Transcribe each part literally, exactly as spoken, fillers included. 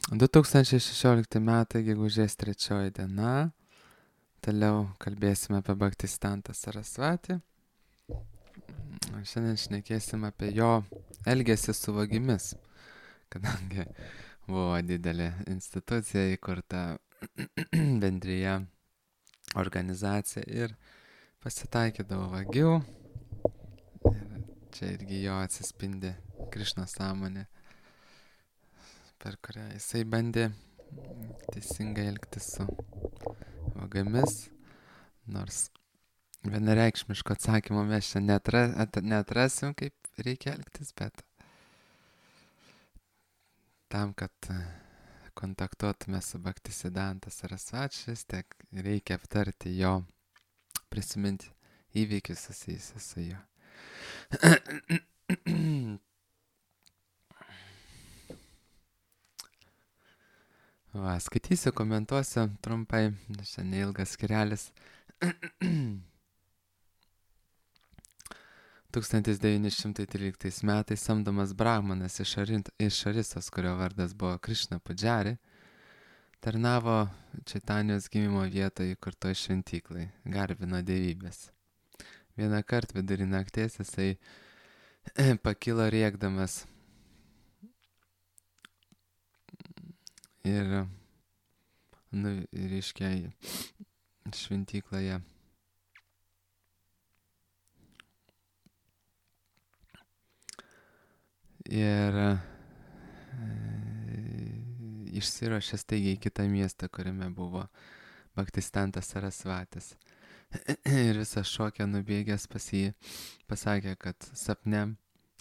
du tūkstančiai šešiolikti metai, gegužės trečioji diena. Toliau kalbėsime apie Bhaktisiddhantą Sarasvatį. Šiandien šnekėsim apie jo elgesį su vagimis, kadangi buvo didelė institucija įkurta bendrija organizacija ir pasitaikydavo vagių. Ir čia irgi jo atsispindi Krišnos sąmonė, per kurią jisai bandė teisingai elgtis su vagamis, nors vienareikšmiško atsakymo mes čia neatra, at, neatrasim, kaip reikia elgtis, bet tam, kad kontaktuotume su Bhaktisiddhanta Sarasvačiais, tiek reikia aptarti jo, prisiminti įvykius susijusius su juo. Va, skaitysiu, komentuosiu trumpai, čia neilgas skirelis. tūkstantis devyni šimtai tryliktais metais samdomas brahmanas iš, Arint, iš Arisos, kurio vardas buvo Krišna Pudžari, tarnavo Čaitanijos gimimo vietoje įkurtoj šventyklai, garbino dievybės. Vieną kartą vidurį nakties jisai pakilo rėkdamas ir, nu, reiškia, šventykloje ir e, išsiruošė staigiai į kitą miestą, kuriame buvo Bhaktisiddhantas Sarasvatis. Ir visą šokę nubėgęs pas jį pasakė, kad sapne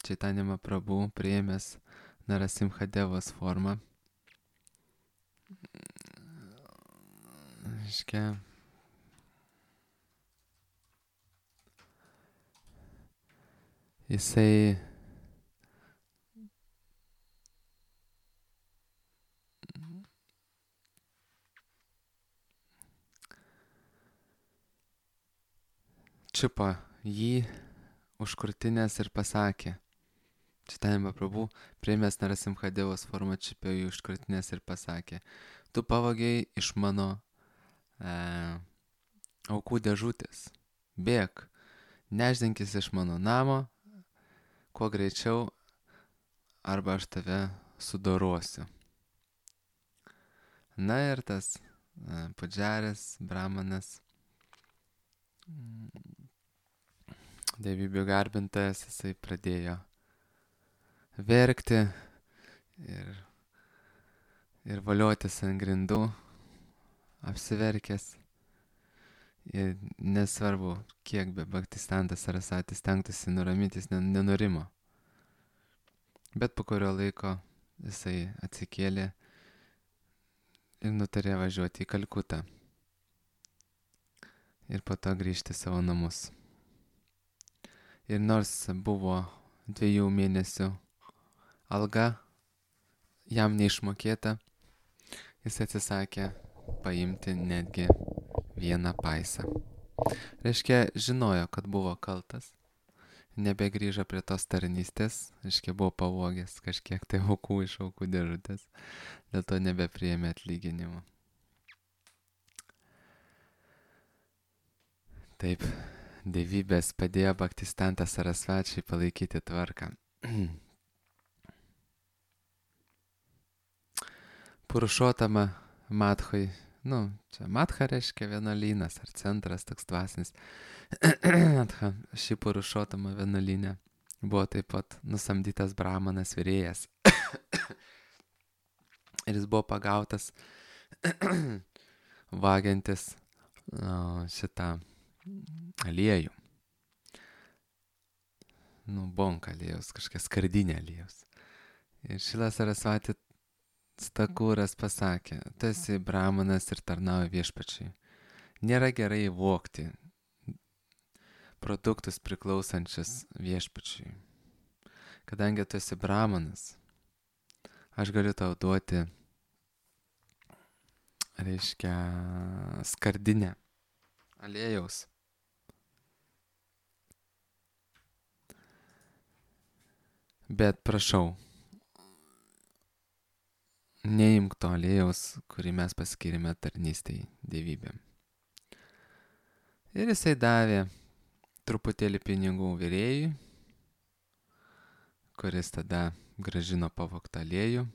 Chaitanya Mahaprabhu priėmęs Narasimhadevos formą, reiškia, jisai čiupo jį už krūtinės ir pasakė, Chaitanya Mahaprabhu priėmęs Narasimhadevos formą čiupė jį už krūtinės ir pasakė, tu pavogei iš mano e, aukų dėžutės, bėk, nešdinkis iš mano namo, kuo greičiau, arba aš tave sudorosiu. Na ir tas e, Pudžaris, brahmanas, dievybių garbintojas, jisai pradėjo verkti ir, ir valiotis ant grindų, apsiverkęs. Ir nesvarbu, kiek be Bhaktisiddhantas Sarasvatis stengtųsi nuraminti, jis nenurimo. Bet po kurio laiko jisai atsikėlė ir nutarė važiuoti į Kalkutą ir po to grįžti į savo namus. Ir nors buvo dviejų mėnesių alga jam neišmokėta, jis atsisakė paimti netgi vieną paisą. Reiškia, žinojo, kad buvo kaltas, nebegrįžo prie tos tarnystės, reiškia, buvo pavogęs kažkiek tai aukų iš aukų dėžutės, dėl to nebepriėmė atlyginimo. Taip, dievybės padėjo Bhaktisiddhantą Sarasvačiui palaikyti tvarką. Purušotama Madhoj, nu, čia Madha reiškia vienuolynas ar centras, toks dvasinis. Ši Purušotama vienuolynė buvo taip pat nusamdytas brahmanas virėjas. Ir jis buvo pagautas vagiantis o, šitą aliejų. Nu, bonka aliejus, kažkokia skardinė aliejus. Ir Šilas Sarasvati Stakūras pasakė, tu esi brahmanas ir tarnauji viešpačiui. Nėra gerai vogti produktus priklausančius viešpačiui. Kadangi tu esi brahmanas, aš galiu tau duoti, reiškia, skardinę aliejaus. Bet prašau, neimk to aliejaus, kurį mes paskirime tarnystei dievybėm. Ir jisai davė truputėlį pinigų virėjui, kuris tada grąžino pavogtą aliejų.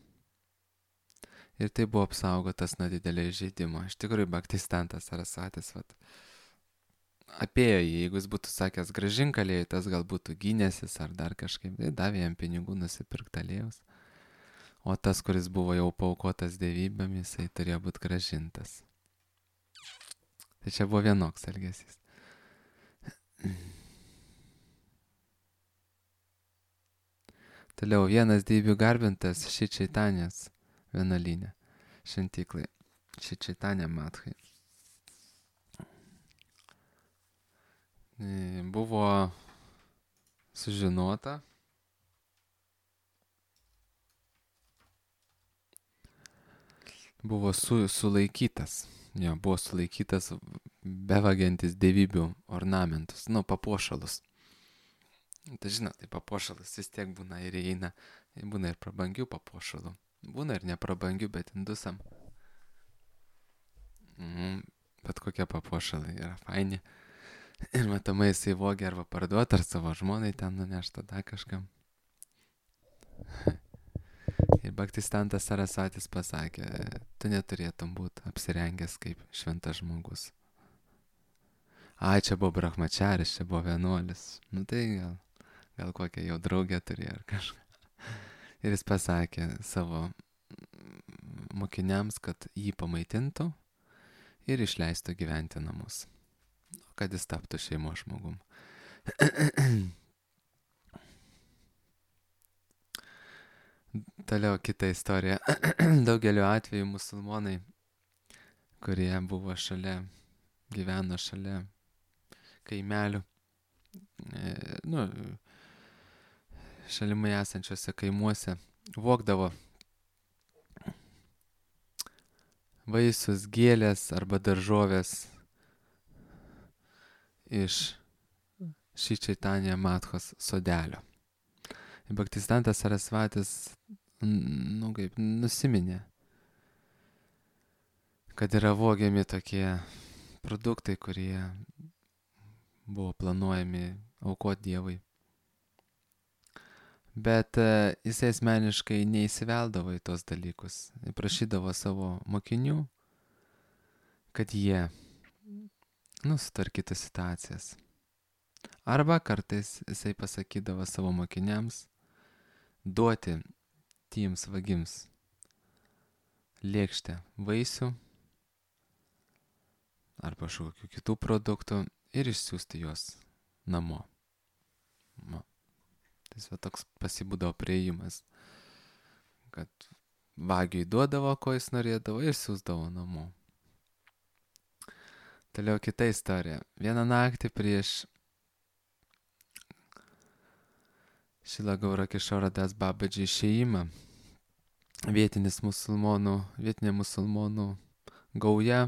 Ir tai buvo apsaugotas nuo didelio įžeidimo. Iš tikrųjų, Bhaktistantas Sarasvatis, vat, apėjo jį, jeigu jis būtų sakęs grąžink aliejų, tas gal būtų gynęsis ar dar kažkaip, tai davė jam pinigų nusipirkti aliejaus. O tas, kuris buvo jau paukotas dievybėm, jisai turėjo būti grąžintas. Tai čia buvo vienoks elgesys. Toliau vienas dievių garbintas Šri Čaitanės vienuolyne, šventyklai, Šri Čaitanė Madhai. Buvo sužinota, buvo su, sulaikytas, jo, buvo sulaikytas bevagiantis dievybių ornamentus, nu, papuošalus. Tai žinot, tai papuošalas vis tiek būna ir įeina, būna ir prabangių papuošalų, būna ir neprabangių, bet indusam. Mm, bet kokie papuošalai yra faini. Ir matomai jisai vogė arba parduot, ar savo žmonai ten nunešta dar kažkam. Ir Bhaktistantas Sarasvatis pasakė, tu neturėtum būti apsirengęs kaip šventas žmogus. Ai, čia buvo brahmačaris, čia buvo vienuolis. Nu tai gal, gal kokią jau draugę turėjo ar kažką. Ir jis pasakė savo mokiniams, kad jį pamaitintų ir išleistų gyventi namus. Kad jis taptų šeimos žmogum. Toliau kita istorija. Daugeliu atveju musulmonai, kurie buvo šalia, gyveno šalia kaimelių, e, nu, šalimai esančiuose kaimuose, vogdavo vaisius, gėlės arba daržovės iš Šri Čaitanė Madhos sodelio. Bhaktistantas Sarasvatis, nu kaip, nusiminė, kad yra vogiami tokie produktai, kurie buvo planuojami aukoti Dievui. Bet uh, jisai asmeniškai neįsiveldavo į tos dalykus. Prašydavo savo mokinių, kad jie nu, sutvarkytų situacijas. Arba kartais jisai pasakydavo savo mokiniams duoti tiems vagims lėkštę vaisių arba kažkokių kitų produktų ir išsiųsti juos namo. No. Tai va toks pasibūdavo priėjimas, kad vagiui duodavo, ko jis norėdavo ir siūsdavo namo. Toliau kita istorija. Vieną naktį prieš Šrila Gaura Kishora Das Babadži išėjimą vietinis musulmonų, vietinė musulmonų gauja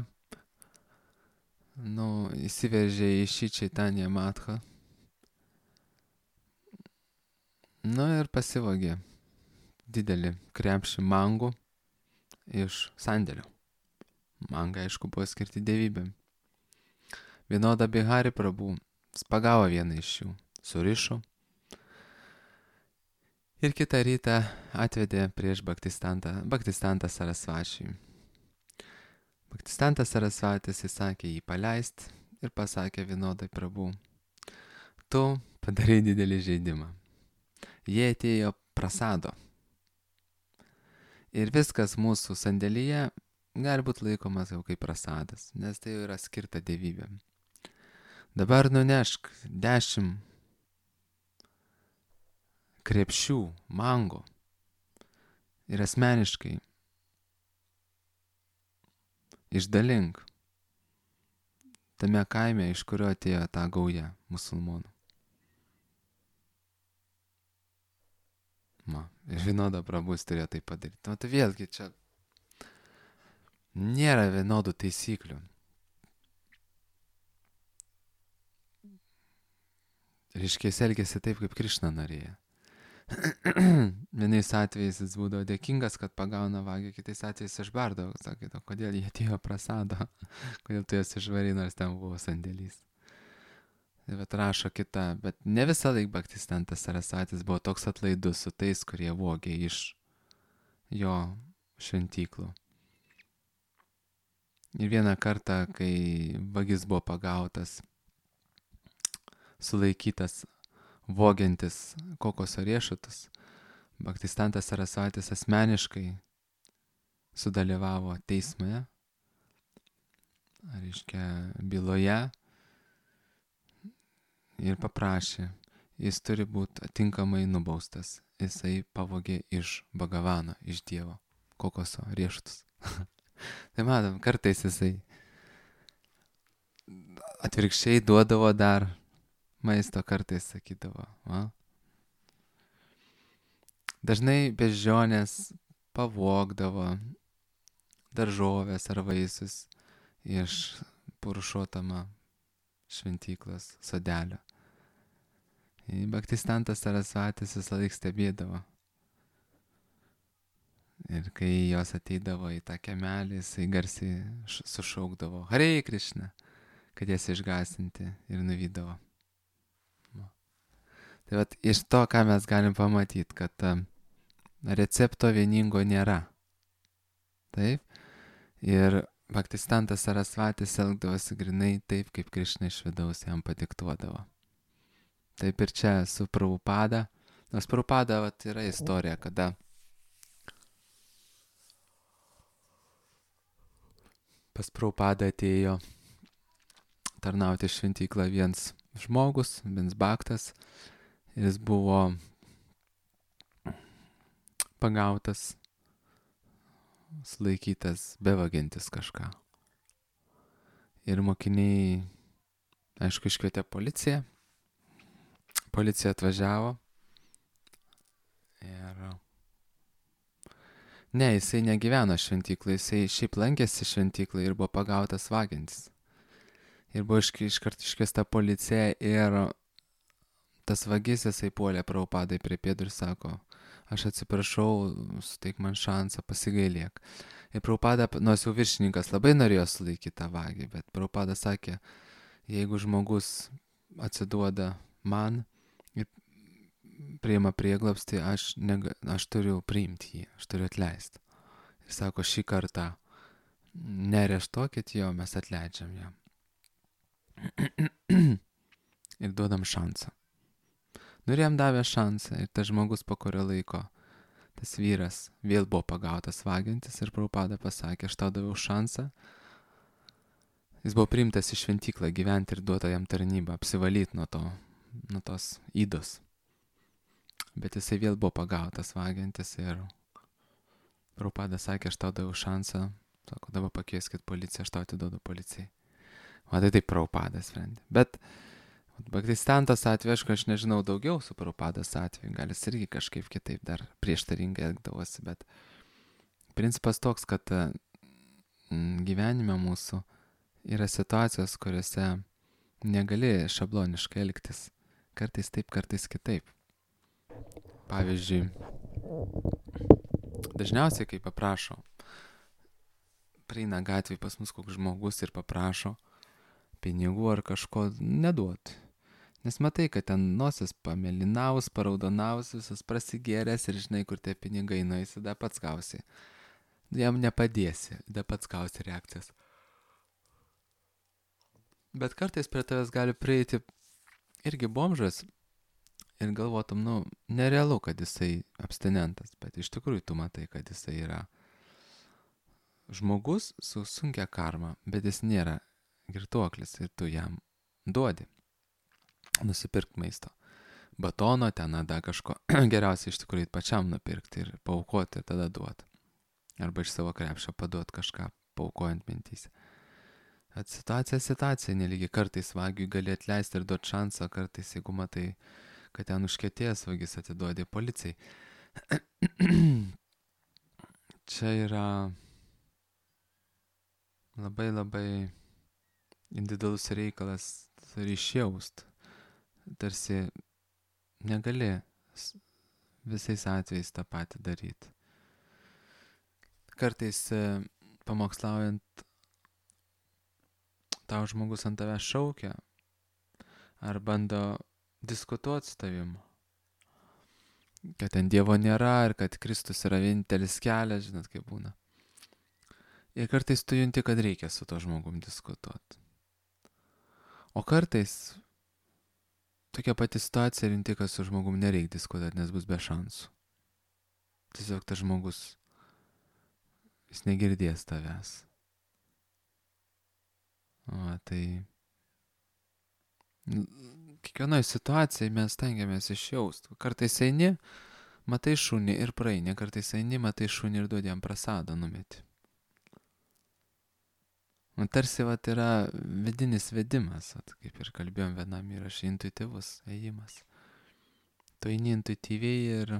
nu, įsiveržė į Šri Čaitanę Madhą. Nu ir pasivogė didelį krepšį mangų iš sandėlio. Mangai, aišku, buvo skirti dievybėm. Vinoda Bihari Prabhu pagavo vieną iš jų, surišo ir kitą rytą atvedė prieš Bhaktistantą, Bhaktistantą Sarasvačiui. Bhaktistantas Sarasvatis įsakė jį paleist ir pasakė Vinodai Prabhu, tu padarai didelį žaidimą. Jie atėjo prasado. Ir viskas mūsų sandėlyje gali būti laikomas jau kaip prasadas, nes tai jau yra skirta dievybėm. Dabar nunešk dešimt krepšių mango ir asmeniškai išdalink tame kaime, iš kurio atėjo ta gauja musulmonų. Ma, ir Vinoda Prabhus turėjo tai padaryti. Nu, tai vėlgi čia nėra vienodų taisyklių. Reiškia, jis elgėsi taip, kaip Krišna norėjo. Vienais atvejais jis būdavo dėkingas, kad pagauna vagį, kitais atvejais išbardavo, sakydavo, kodėl jie atėjo prasado, kodėl tu jas išvarai, nors ten buvo sandėlys. Tai vat rašo kita, bet ne visą laiką Bhaktistantas Sarasvatis buvo toks atlaidus su tais, kurie vogė iš jo šventyklų. Ir vieną kartą, kai vagis buvo pagautas, sulaikytas, vogiantis kokoso riešutus, Bhaktistantas Sarasvatis asmeniškai sudalyvavo teismoje, reiškia byloje, ir paprašė, jis turi būti atinkamai nubaustas. Jisai pavogė iš Bhagavano, iš Dievo, kokoso riešutus. Tai matom, kartais jisai atvirkščiai duodavo dar maisto, kartais sakydavo. Va? Dažnai beždžionės pavogdavo daržovės ar vaisius iš Purušotama šventyklos sodelio. Bhaktistantas Sarasvatis visą laiką stebėdavo. Ir kai jos ateidavo į tą kemelį, jisai garsiai sušaukdavo Hare Krishna, kad jas išgąsdinti, ir nuvydavo. Tai vat iš to, ką mes galim pamatyti, kad recepto vieningo nėra. Taip? Ir Bhaktistantas Sarasvatis elgdavosi grinai taip, kaip Krishna iš vidaus jam padiktuodavo. Taip ir čia su Prabhupada. Nors Prabhupada vat, yra istorija, kada pas Prabhupada atėjo tarnauti šventyklą viens žmogus, viens bhaktas. Jis buvo pagautas, sulaikytas, bevagiantis kažką. Ir mokiniai, aišku, iškvietė policiją. Policija atvažiavo. Ir ne, jisai negyveno šventyklai, jisai šiaip lankėsi šventyklai ir buvo pagautas vagiantis. Ir buvo iškart iškviesta policija ir tas vagis jisai puolė Prabhupadai prie pėdų ir sako, aš atsiprašau, suteik man šansą, pasigailėk. Ir Prabhupada, nors jau viršininkas labai norėjo sulaikyti tą vagį, bet Prabhupada sakė, jeigu žmogus atsiduoda man ir priima prieglobstį, aš, nega, aš turiu priimti jį, aš turiu atleisti. Ir sako, šį kartą nereštuokit jo, mes atleidžiam jam. Ir duodam šansą. Nu ir jam davė šansą ir tas žmogus po kurio laiko, tas vyras vėl buvo pagautas vagiantis ir Prabhupada pasakė, aš tau daviau šansą. Jis buvo priimtas į šventyklą gyventi ir duota jam tarnybą, apsivalyti nuo to, nuo tos ydos. Bet jisai vėl buvo pagautas vagiantis ir Prabhupada sakė, aš tau daviau šansą, sako, dabar pakvieskit policiją, aš tau atiduodu policijai. O tai taip Prabhupada sprendė. Bet Bhaktistantas atveju, aišku, aš nežinau daugiau su Prabhupados atveju, gal jis irgi kažkaip kitaip dar prieštaringai elgdavosi, bet principas toks, kad gyvenime mūsų yra situacijos, kuriuose negali šabloniškai elgtis. Kartais taip, kartais kitaip. Pavyzdžiui, dažniausiai, kai paprašo, praeina gatvėje pas mus koks žmogus ir paprašo pinigų ar kažko, neduot. Nes matai, kad ten nosis pamėlynaus, paraudonaus, visas prasigėręs ir žinai, kur tie pinigai nueisi, da pats gausi. Jam nepadėsi, da pats gausi reakcijas. Bet kartais prie tavęs gali prieiti irgi bomžas ir galvotum, nu, nerealu, kad jisai abstinentas, bet iš tikrųjų tu matai, kad jisai yra žmogus su sunkia karma, bet jis nėra girtuoklis ir tu jam duodi. Nusipirkt maisto. Batono, ten ada kažko. Geriausia iš tikrųjų pačiam nupirkti ir paaukoti ir tada duoti. Arba iš savo krepšio paduoti kažką, paaukojant mintyse. At situacija situacija nelygiai. Kartais vagiui gali atleisti ir duoti šansą, kartais jeigu matai, kad ten užkietėjęs vagis, atiduodi policijai. Čia yra labai labai individualus reikalas ryšį jaust. Tarsi negali visais atvejais tą patį daryti. Kartais pamokslaujant tau žmogus ant tavęs šaukia ar bando diskutuoti su tavim, kad ten Dievo nėra ir kad Kristus yra vienintelis kelias, žinot kaip būna. Ir kartais tu junti, kad reikia su to žmogum diskutuoti. O kartais tokia pati situacija ir junti, kad su žmogum nereikia diskutuoti, nes bus be šansų. Tiesiog tas žmogus, jis negirdės tavęs. O, tai kiekvienoje situacijoje mes stengiamės išjausti. Kartais eini, matai šunį ir praeini, kartais eini, matai šunį ir duodi jam prasadą numeti. Man tarsi vat yra vidinis vedimas, vat, kaip ir kalbėjom vienam įrašė, intuityvus ėjimas. Tu eini intuityviai ir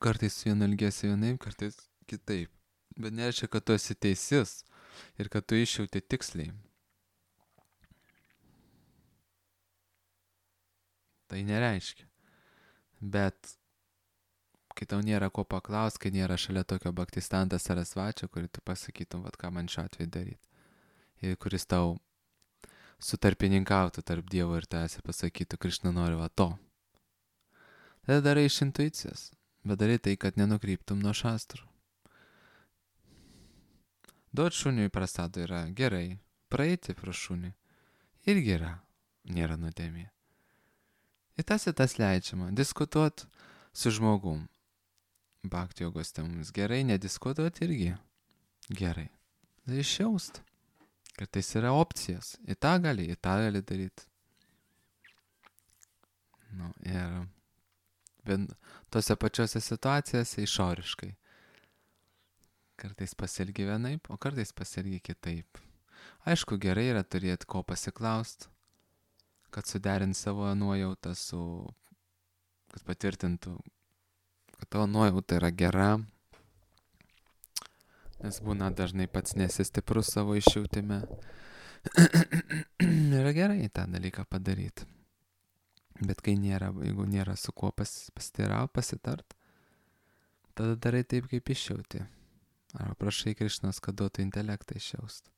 kartais su vienu elgiesi vienaip, kartais kitaip. Bet nereiškia, kad tu esi teisis ir kad tu išjauti tiksliai. Tai nereiškia. Bet kai tau nėra ko paklausti, kai nėra šalia tokio Bhaktisiddhanta Sarasvačio, kurį tu pasakytum, vat ką man šiuo atveju daryti. Ir kuris tau sutarpininkautų tarp Dievo ir tavęs ir pasakytų, Krišna nori va to. Tada darai iš intuicijos, bet darai tai, kad nenukryptum nuo šastrų. Duot šuniui prasadą yra gerai, praeiti pro šunį irgi yra, nėra nuodėmė. Ir tas ir tas leidžiama, diskutuot su žmogum. Bhakti jogos temomis gerai, nediskutuot irgi gerai. Tai išjaust. Kartais yra opcijas. Į tą gali, į tą gali daryti. Nu, ir vien, tose pačiose situacijose išoriškai. Kartais pasielgi vienaip, o kartais pasielgi kitaip. Aišku, gerai yra turėti ko pasiklaust, kad suderint savo nuojautą su, kad patvirtintų, kad tavo nuojauta yra gera, nes būna dažnai pats nesi stiprus savo išjautime. Yra gerai tą dalyką padaryti. Bet kai nėra, jeigu nėra su kuo pas, pasiteirauti, pasitart, tada darai taip, kaip išjauti. Arba prašai Krišnos, kad duotų intelektą išjaust.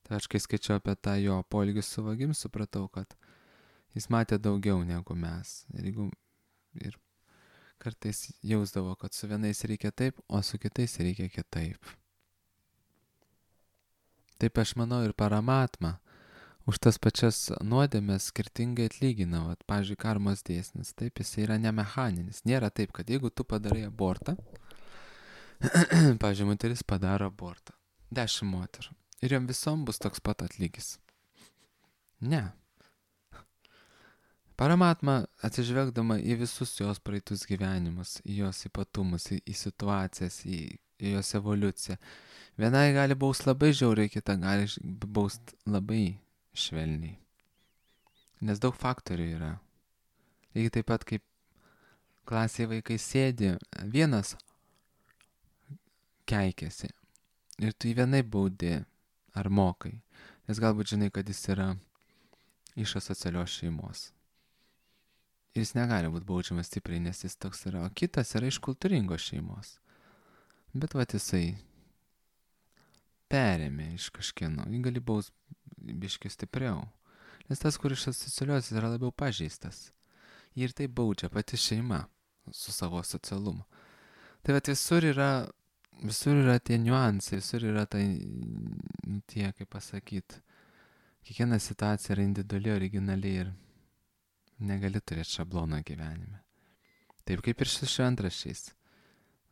Tai aš kai skaičiau apie tą jo poelgių suvagim, supratau, kad jis matė daugiau negu mes. Ir, jeigu, ir kartais jausdavo, kad su vienais reikia taip, o su kitais reikia kitaip. Taip aš manau ir Paramatma už tas pačias nuodėmes skirtingai atlygina. Vat, pavyzdžiui, karmos dėsnis. Taip, jis yra nemechaninis. Nėra taip, kad jeigu tu padarai abortą, pavyzdžiui, moteris padaro abortą. Dešimt moterų. Ir jom visom bus toks pat atlygis. Ne. Paramatma atsižvelgdama į visus jos praeitus gyvenimus, į jos ypatumus, į, į situacijas, į, į jos evoliuciją. Vienai gali baust labai žiauriai, kita gali baust labai švelniai. Nes daug faktorių yra. Lygiai taip pat kaip klasėje vaikai sėdi, vienas keikėsi ir tu jį vienai baudi ar mokai, nes galbūt žinai, kad jis yra iš asocialios šeimos. Ir jis negali būti baudžiamas stipriai, nes jis toks yra, o kitas yra iš kultūringos šeimos. Bet vat jisai perėmė iš kažkieno, jį gali baust biškiai stipriau. Nes tas, kur iš asocialios, yra labiau pažeistas. Jį ir tai baudžia pati šeima su savo socialumu. Tai vat visur yra Visur yra tie niuansai, visur yra tai, nu, tie, kaip pasakyti, kiekviena situacija yra individuali, originali ir negali turėti šablono gyvenime. Taip kaip ir su šventraščiais.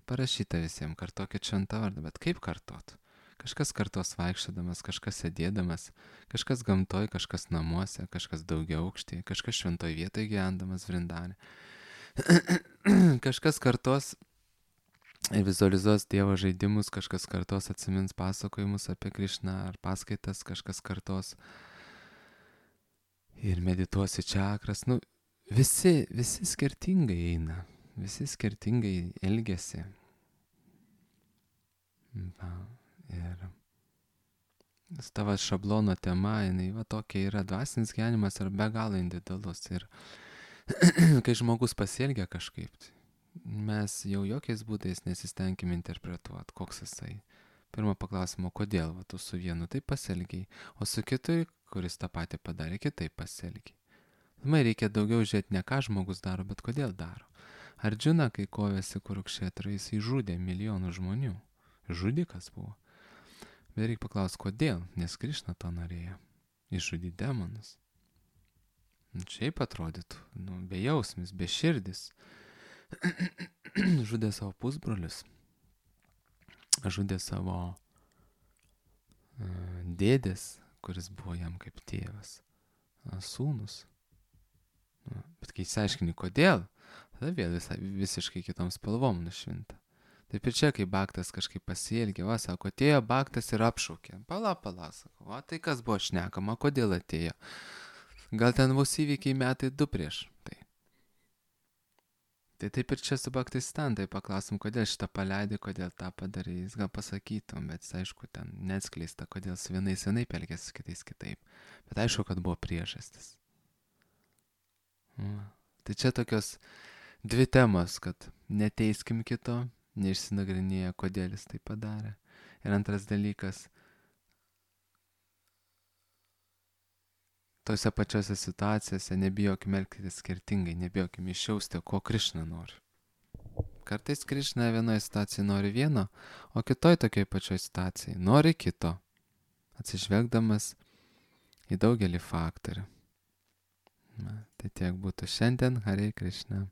Parašyta visiems, kartokit šventą vardą, bet kaip kartot? Kažkas kartos vaikščiodamas, kažkas sėdėdamas, kažkas gamtoj, kažkas namuose, kažkas daugia aukštėje, kažkas šventoj vietoje gyvendamas Vrindane. Kažkas kartos ir vizualizuos Dievo žaidimus, kažkas kartos atsimins pasakojimus apie Krišną ar paskaitas, kažkas kartos ir medituos į čakras. Nu, visi, visi skirtingai eina, visi skirtingai elgiasi. Va, ir tavo šablono tema, jinai va tokia yra, dvasinis gyvenimas yra be galo individualus ir kai žmogus pasielgia kažkaip, tai mes jau jokiais būdais nesistengime interpretuoti, koks jisai. Pirmą paklausimą, kodėl va, tu su vienu taip pasielgiai, o su kitu, kuris tą patį padarė, kitaip pasielgiai. Man reikia daugiau žiūrėti ne ką žmogus daro, bet kodėl daro. Ardžuna, kai kovėsi Kurukšetrą, jis įžudė milijonų žmonių. Žudikas buvo. Bet reikia paklausti, kodėl, nes Krišna to norėjo. Išžudyti demonus. Šiaip atrodytų, nu, bejausmis, beširdis. Žudė savo pusbrolius. Žudė savo uh, dėdės, kuris buvo jam kaip tėvas. Uh, sūnus. Uh, bet kai išsiaiškini, kodėl, tada vėl visai, visiškai kitom spalvom nušvinta. Taip ir čia, kai Baktas kažkaip pasielgė, va, sako, atėjo Baktas ir apšaukė. Pala, pala, sako, va, tai kas buvo šnekama, kodėl atėjo? Gal ten bus įvykiai metai du prieš tai. Tai taip ir čia su Baktistantai paklausim, kodėl šitą paleidai, kodėl tą padarai, jis gal pasakytum, bet aišku, ten neatskleista, kodėl su vienais vienaip elgėsi, su kitais kitaip. Bet aišku, kad buvo priežastis. Va. Tai čia tokios dvi temos, kad neteiskim kito, neišsinagrinėję, kodėl jis tai padarė. Ir antras dalykas, tose pačiose situacijose nebijokim elgtis skirtingai, nebijokim išjausti, ko Krišna nori. Kartais Krišna vienoje situacijoje nori vieno, o kitoj tokiai pačioj situacijai nori kito, atsižvelgdamas į daugelį faktorių. Na, tai tiek būtų šiandien. Hare Krišna.